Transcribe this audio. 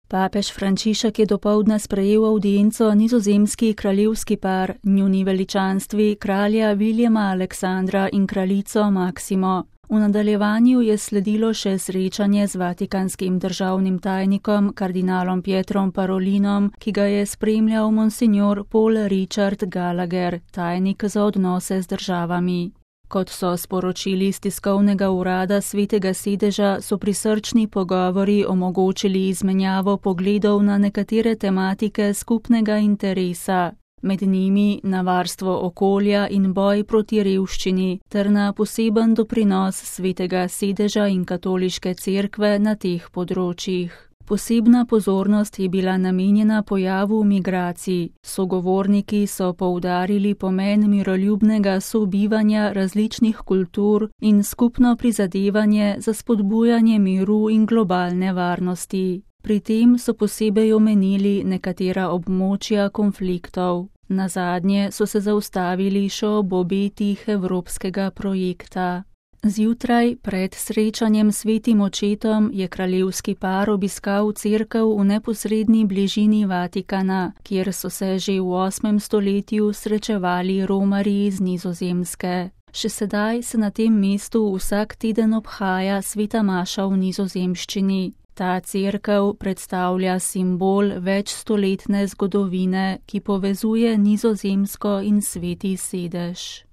Papež Frančišek je dopoldne sprejel avdienco nizozemski kraljevski par, njuni veličanstvi kralja Viljama Aleksandra in kraljico Maksimo. V nadaljevanju je sledilo še srečanje z vatikanskim državnim tajnikom kardinalom Pietrom Parolinom, ki ga je spremljal monsignor Paul Richard Gallagher, tajnik za odnose z državami. Kot so sporočili iz tiskovnega urada Svetega sedeža, so prisrčni pogovori omogočili izmenjavo pogledov na nekatere tematike skupnega interesa, med njimi na varstvo okolja in boj proti revščini, ter na poseben doprinos Svetega sedeža in katoliške cerkve na teh področjih. Posebna pozornost je bila namenjena pojavu migracij. Sogovorniki so poudarili pomen miroljubnega sobivanja različnih kultur in skupno prizadevanje za spodbujanje miru in globalne varnosti. Pri tem so posebej omenili nekatera območja konfliktov. Nazadnje so se zaustavili še ob obetih evropskega projekta. Zjutraj, pred srečanjem s svetim očetom, je kraljevski par obiskal cerkev v neposredni bližini Vatikana, kjer so se že v 8. stoletju srečevali romarji iz Nizozemske. Še sedaj se na tem mestu vsak teden obhaja sveta maša v nizozemščini. Ta cerkev predstavlja simbol večstoletne zgodovine, ki povezuje Nizozemsko in Sveti sedež.